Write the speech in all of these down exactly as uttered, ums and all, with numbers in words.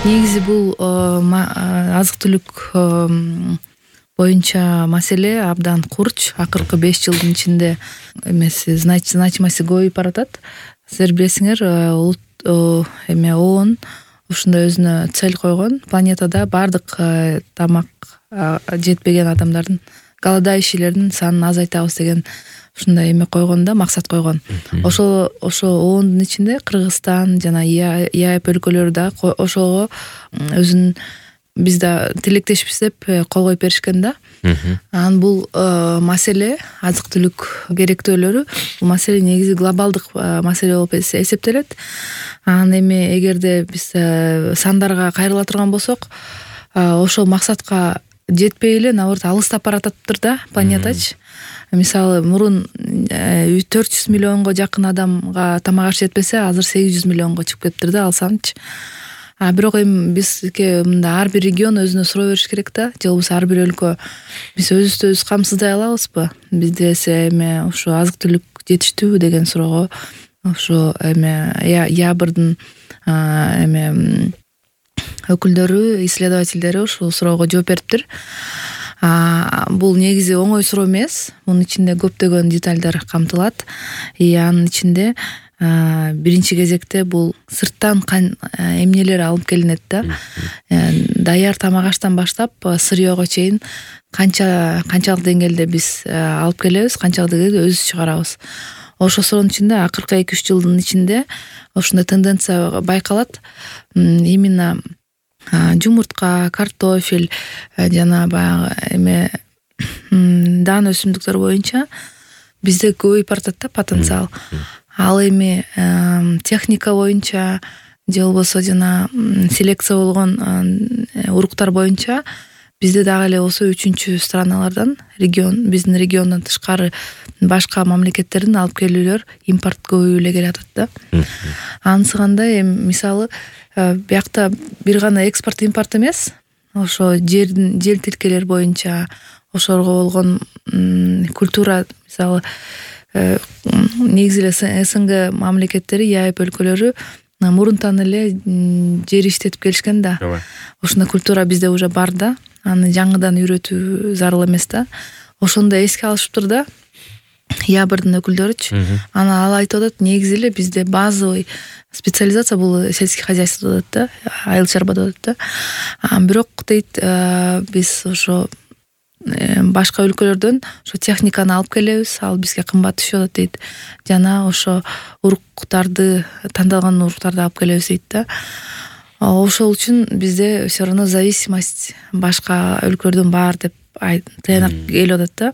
Негизи бул азык-түлүк боюнча маселе абдан курч. Акыркы беш жылдын ичинде эмеси значимости көбөйүп баратат. Силер билесиңер, улут эме ООН ушундай өзүнө цель койгон. Планетада бардык тамак жетпеген адамдардын, голодающийлердин санын азайтабыз деген ушундай эме койгон да, максат койгон. Ошол ошо ООНдун ичинде Кыргызстан жана ЕАЭП өлкөлөрү да ошого өзүнүн биз да тилектешпиз деп кол коюп беришкен да. Анан бул маселе, азык-түлүк керектөөлөрү, бул маселе негизи глобалдык маселе болуп эсептелет. Анан эми эгерде биз сандарга кайрыла турган болсок, ошол максатка жетпей эле наоборот алыстап баратыптыр да планетачы. Мисалы, мурун төрт жүз миллионго жакын адамга тамак аш жетпесе, азыр сегиз жүз миллионго чыгып кетиптир да ал санчы. А бирок эми бизге мында ар бир регион өзүнө суроо бериш керек да, же болбосо ар бир өлкө биз өзүбүздү өзүбүз камсыздай алабызбы? Бизде эме ушу азык-түлүк жетиштүүбү деген суроого ушу эме ЯБРдын эме өкүлдөрү, исследовательдери ушул суроого жооп бериптир. Бул негизи оңой суроо эмес. Мунун ичинде көптөгөн детальдар камтылат. И анын ичинде биринчи кезекте бул сырттан эмнелер алып келинет да. Даяр тамак аштан баштап сырьёго чейин канча канчалык деңгээлде биз алып келебиз, канчалык деңгээлде өзүбүз чыгарабыз. Ошол суроонун ичинде акыркы эки үч жылдын ичинде ушундай тенденция байкалат. Именно жумуртка, картофель жана баягы эме дан өсүмдүктөр боюнча бизде көбөйүп баратат да потенциал. Ал эми техника боюнча же болбосо жана селекция болгон уруктар боюнча бизде дагы эле болсо үчүнчү страналардан, регион, биздин региондон тышкары башка мамлекеттердин алып келүүлөр, импорт көбөйүп эле келатат да. Анысы кандай, эми мисалы биякта бир гана экспорт импорт эмес, ошо жердин жер тилкелер боюнча, ошолорго болгон культура, мисалы негизи эле СНГ мамлекеттери, ЕАЭП өлкөлөрү мурунтан эле жер иштетип келишкен да. Ошондой культура бизде уже бар да, аны жаңыдан үйрөтүү зарыл эмес да. Ошондо эске алышыптыр да ЯБРдын өкүлдөрүчү. Аны ал айтып атат, негизи эле бизде базовый специализация бул сельский хозяйство деп атат да, айыл чарба деп атат да. Бирок дейт, биз ошо башка өлкөлөрдөн ошо техниканы алып келебиз, ал бизге кымбат түшүп атат дейт. Жана ошо уруктарды, тандалган уруктарды алып келебиз дейт да. Ошол үчүн бизде все равно зависимость башка өлкөлөрдөн бар деп тыянак келип атат да.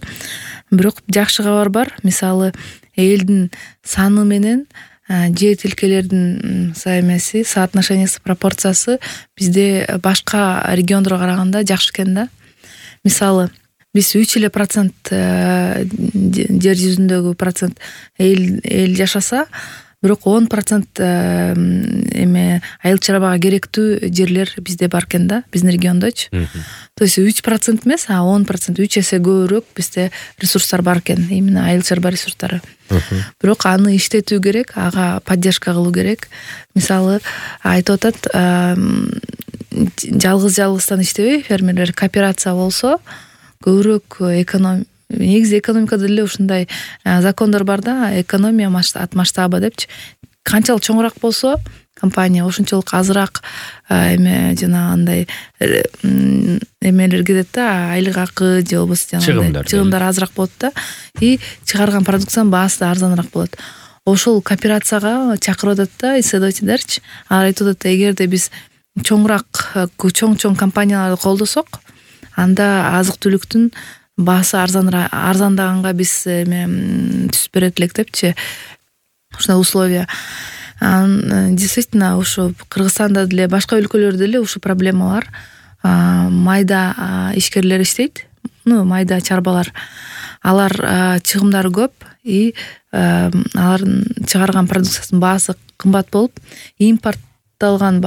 Бирок жакшы кабар бар. Мисалы, элдин саны менен жер тилкелердин эмеси, соотношениясы, пропорциясы бизде башка региондорго караганда жакшы экен да. Мисалы, биз үч эле процент жер жүзүндөгү процент эл эл жашаса, бирок он процент эме айыл чарбага керектүү жерлер бизде бар экен да, биздин региондочу. То есть үч процент эмес, а он процент, үч эсе көбүрөөк бизде ресурстар бар экен, именно айыл чарба ресурстары. Бирок аны иштетүү керек, ага поддержка кылуу керек. Мисалы, айтып атат, жалгыз-жалгыздан иштебей фермерлер кооперация болсо көбүрөөк эконом негизи экономикада деле ушундай закондор бар да, экономия от масштаба депчи. Канчалык чоңураак болсо компания, ошончолук азыраак эме жана андай эмелер кетет да, айлык акы же болбосо жана чыгымдар азыраак болот да, и чыгарган продукциянын баасы да арзаныраак болот. Ошол кооперацияга чакырып атат да исследовательдерчи. Алар айтып атат, эгерде биз чоңураак чоң-чоң компанияларды колдосок, анда азык-түлүктүн баасы арзандаганга биз эме түсүп берет элек депчи. Ушундай условия. Действительно, ушу Кыргызстанда деле, башка өлкөлөрдө деле ушу проблема бар. Майда ишкерлер иштейт, ну, майда чарбалар. Алар чыгымдары көп, и алардын чыгарган продукциясынын баасы кымбат болуп, импортталган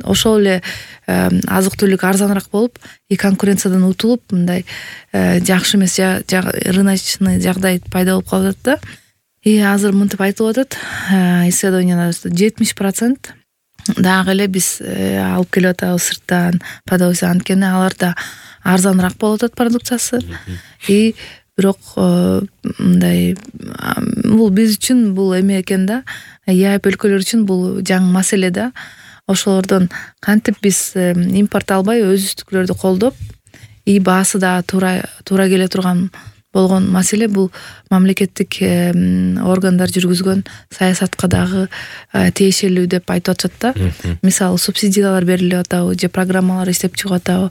ошол эле азык-түлүк арзаныраак болуп, и конкуренциядан утулуп, мындай жакшы эмес рыночный жагдай пайда болуп калып атат да. И азыр мынтип айтылып атат, исследованиялар жетимиш процент дагы эле биз алып келип атабыз сырттан продукция, анткени алар да арзаныраак болуп атат продукциясы. И бирок мындай бул биз үчүн бул эме экен да, ЕАЭП өлкөлөр үчүн бул жаңы маселе да. Ошолордон кантип биз импорт албай өзүбүздүкүлөрдү колдоп, и баасы да туура туура келе турган болгон маселе бул мамлекеттик органдар жүргүзгөн саясатка дагы тиешелүү деп айтып атышат да. Мисалы субсидиялар берилип атабы же программалар иштеп чыгып атабы.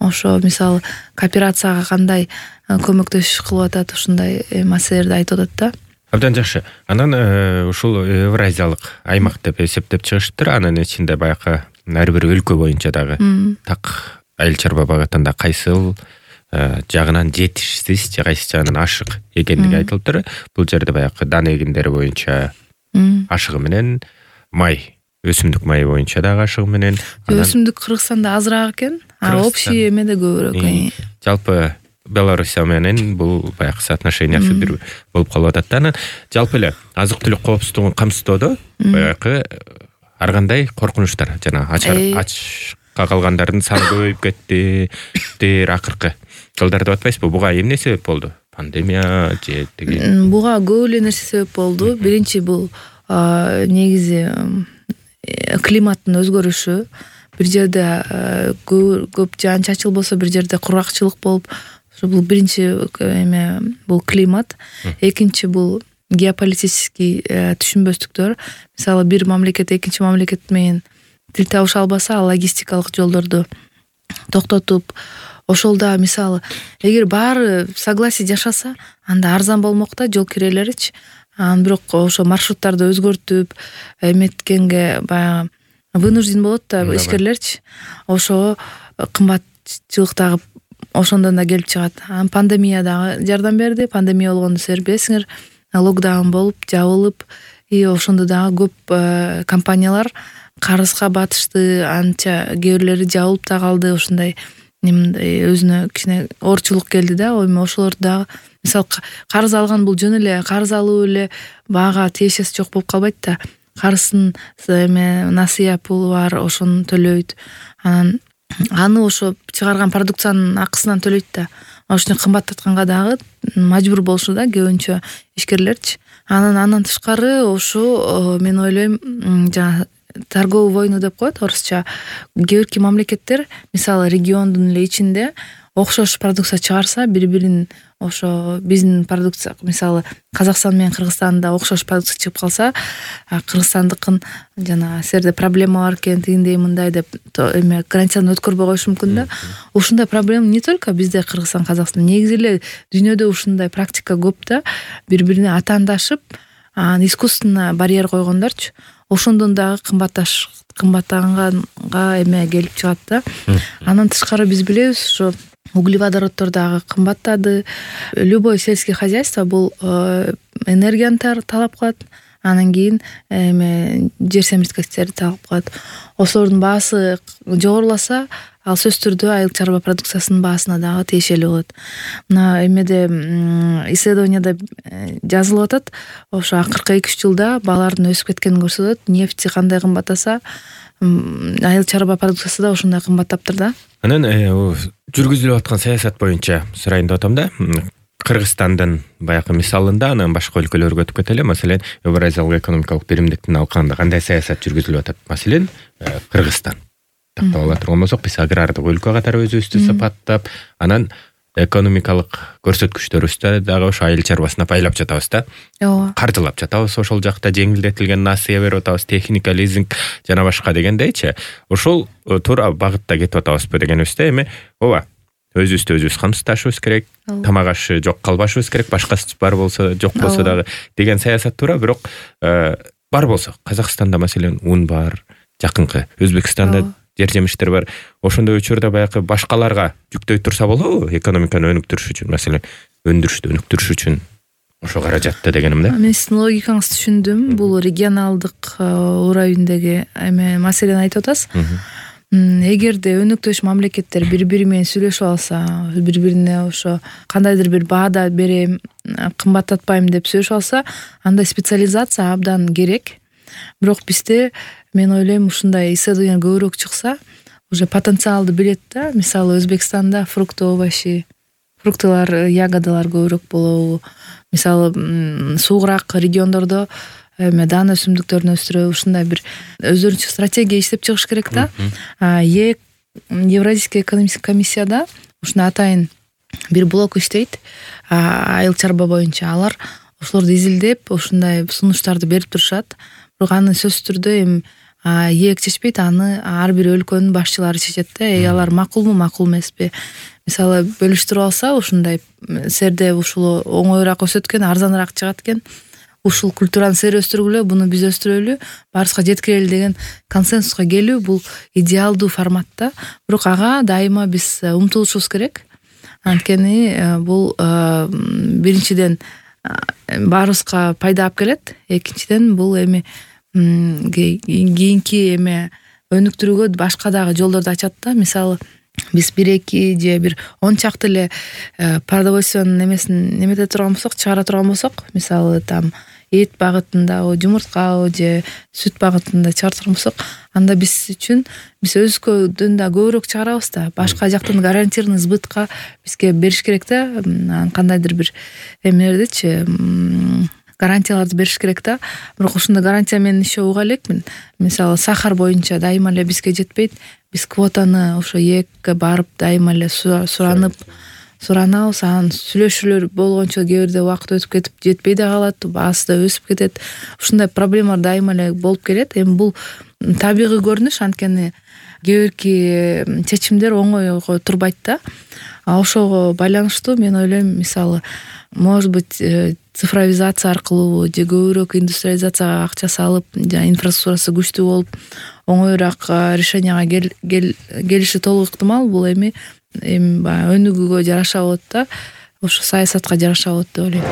Ошо мисалы кооперацияга кандай көмөктөшүш кылып атат, ушундай маселелерди айтып атат да. Абдан жакшы. Анан ушул Евразиялык аймак деп эсептеп чыгыштыр. Анын ичинде баягы ар бир өлкө боюнча дагы так айыл чарба багытында кайсыл жагынан жетишсиз же кайсы жагынан ашык экендиги айтылыптыр. Бул жерде баягы дан эгиндери боюнча ашыгы менен, май, өсүмдүк майы боюнча дагы ашыгы менен. Өсүмдүк Кыргызстанда азыраак экен, а общий эмеде көбүрөөк. Жалпы Белоруссия менен бул баягы соотношениясы бир болуп калып атат да. Анан жалпы эле азык-түлүк коопсуздугун камсыздоодо баягы ар кандай коркунучтар, жана ачка калгандардын саны көбөйүп кетти дер акыркы жылдар деп атпайсызбы? Буга эмне себеп болду? Пандемия же тиги? Буга көп эле нерсе себеп болду. Биринчи бул негизи климаттын өзгөрүшү. Бир жерде көп жаан чачыл болсо, бир жерде кургакчылык болуп, бул биринчи эме бул климат. Экинчи бул геополитический түшүнбөстүктөр. Мисалы бир мамлекет экинчи мамлекет менен тил табыша албаса, логистикалык жолдорду токтотуп, ошол да мисалы эгер баары согласие жашаса, анда арзан болмок да жол кирелеричи. Анан бирок ошо маршруттарды өзгөртүп эметкенге баягы вынужден болот да ишкерлерчи. Ошо кымбатчылык дагы ошондон да келип чыгат. Анан пандемия дагы жардам берди. Пандемия болгондо силер билесиңер, локдаун болуп, жабылып, и ошондо дагы көп компаниялар карызга батышты, анча кээ бирлери жабылып да калды. Ошондой неминдай өзүнө кичине оорчулук келди да. Эми ошолорду дагы мисалы карыз алган бул жөн эле карыз алуу эле баага тиешеси жок болуп калбайт да. Карыздын эме насыя пулу бар, ошону төлөйт. Анан аны ошо чыгарган продукциянын акысынан төлөйт да. Ошону кымбаттатканга дагы мажбур болушу да көбүнчө ишкерлерчи. Анан андан тышкары ошо мен ойлойм, жана торговый войну деп коет орусча. Кээ бирки мамлекеттер мисалы региондун эле ичинде окшош продукция чыгарса, бири-бирин ошо биздин продукция, мисалы Казакстан менен Кыргызстанда окшош продукция чыгып калса, кыргызстандыкын жана силерде проблема бар экен, тигиндей мындай деп эме границадан өткөрбөй коюшу мүмкүн да. Ушундай проблема не только бизде Кыргызстан, Казакстан, негизи эле дүйнөдө ушундай практика көп да. Бири-бирине атаандашып, анан искусственно барьер койгондорчу. Ошондон дагы кымбатташ кымбаттаганга эме келип чыгат да. Андан тышкары биз билебиз, ошо углеводороддор дагы кымбаттады. Любой сельский хозяйство бул энергияны талап кылат. Анан кийин эме жер семирткичтерди талап кылат. Ошолордун баасы жогоруласа, ал сөзсүз түрдө айыл чарба продукциясынын баасына дагы тиешелүү болот. Мына эмеде исследованияда жазылып атат, ошо акыркы эки үч жылда баалардын өсүп кеткенин көрсөтөт. Нефти кандай кымбаттаса, айыл чарба продукциясы да ошондой кымбаттаптыр да. Анан жүргүзүлүп аткан саясат боюнча сурайын деп атам да. Кыргызстандын баягы мисалында анан башка өлкөлөргө өтүп кетели. Маселен, Евразиялык экономикалык биримдиктин алкагында кандай саясат жүргүзүлүп атат? Маселен, Кыргызстан тактап ала турган болсок, биз агрардык өлкө катары өзүбүздү сапаттап, анан экономикалык көрсөткүчтөрүбүздү дагы ошо айыл чарбасына байлап жатабыз да. Ооба. Каржылап жатабыз, ошол жакта жеңилдетилген насыя берип атабыз, техника, лизинг жана башка дегендейчи. Ошол туура багытта кетип атабызбы дегенибизде, эми ооба, өзүбүздү өзүбүз камсыздашыбыз керек, тамак ашы жок калбашыбыз керек, башкасы бар болсо, жок болсо дагы деген саясат туура, бирок бар болсо, Казакстанда маселен ун бар, жакынкы Өзбекстанда жер жемиштер бар. Ошондой учурда баягы башкаларга жүктөй турса болобу экономиканы өнүктүрүш үчүн, маселен, өндүрүштү өнүктүрүш үчүн ошо каражатты дегеним да. Мен сиздин логикаңызды түшүндүм. Бул регионалдык уровеньдеги эме маселени айтып атасыз. Эгерде өнүктүш мамлекеттер бири-бири менен сүйлөшүп алса, бири-бирине ошо кандайдыр бир баада берем, кымбаттатпайм деп сүйлөшүп алса, анда специализация абдан керек. Бирок бизде мен ойлойм ушундай исследование көбүрөөк чыкса, уже потенциалды билет да. Мисалы Өзбекстанда фрукты, овощи, фруктылар, ягодалар көбүрөөк болобу. Мисалы суугураак региондордо эме даана өсүмдүктөрүн өстүрөбү. Ушундай бир өздөрүнчө стратегия иштеп чыгыш керек да. ЕЭК, Евразийский экономический комиссияда ушундай атайын бир блок иштейт айыл чарба боюнча. Алар ошолорду изилдеп, ушундай сунуштарды берип турушат. Бирок аны сөзсүз түрдө эми ЕЭК чечпейт, аны ар бир өлкөнүн башчылары чечет да. Эй, алар макулму, макул эмеспи? Мисалы бөлүштүрүп алса, ушундай серде ушул оңоюраак өсөт экен, арзаныраак чыгат экен. Ушул культураны сер өстүргүлө, буну биз өстүрөлү, баарыбызга жеткирели деген консенсуска келүү бул идеалдуу форматта. Бирок ага дайыма биз умтулушубуз керек. Анткени бул биринчиден баарыбызга пайда алып келет. Экинчиден бул эми кийинки эме өнүктүрүүгө башка дагы жолдорду ачат да. Мисалы биз бир эки же бир он чакты эле продовольствиянын немесин немете турган болсок, чыгара турган болсок, мисалы там эт багытында, жумуртка же сүт багытында чыгара турган болсок, анда биз үчүн биз өзгөдөн да көбүрөөк чыгарабыз да. Башка жактан гарантированный сбытка бизге бериш керек да. Кандайдыр бир эмелердичи гарантияларды бериш керек да. Бирок ушундай гарантия менен иши уга элекмин. Мисалы сахар боюнча дайыма эле бизге жетпейт. Биз квотаны ошо ЕЭКке барып дайыма эле суранып суранабыз. Анан сүйлөшүүлөр болгончо кээ бирде убакыт өтүп кетип жетпей да калат, баасы да өсүп кетет. Ушундай проблемалар дайыма эле болуп келет. Эми бул табигый көрүнүш, анткени кээ бирки чечимдер оңойго турбайт да. А ошого байланыштуу мен ойлойм, мисалы, может быть, цифровизация аркылуу же көбүрөөк индустриализацияга акча салып, жана инфраструктурасы күчтүү болуп, оңоюраак решенияга келиши толук ыктымал. Бул эми эми баягы өнүгүүгө жараша болот да, ошо саясатка жараша болот деп ойлойм.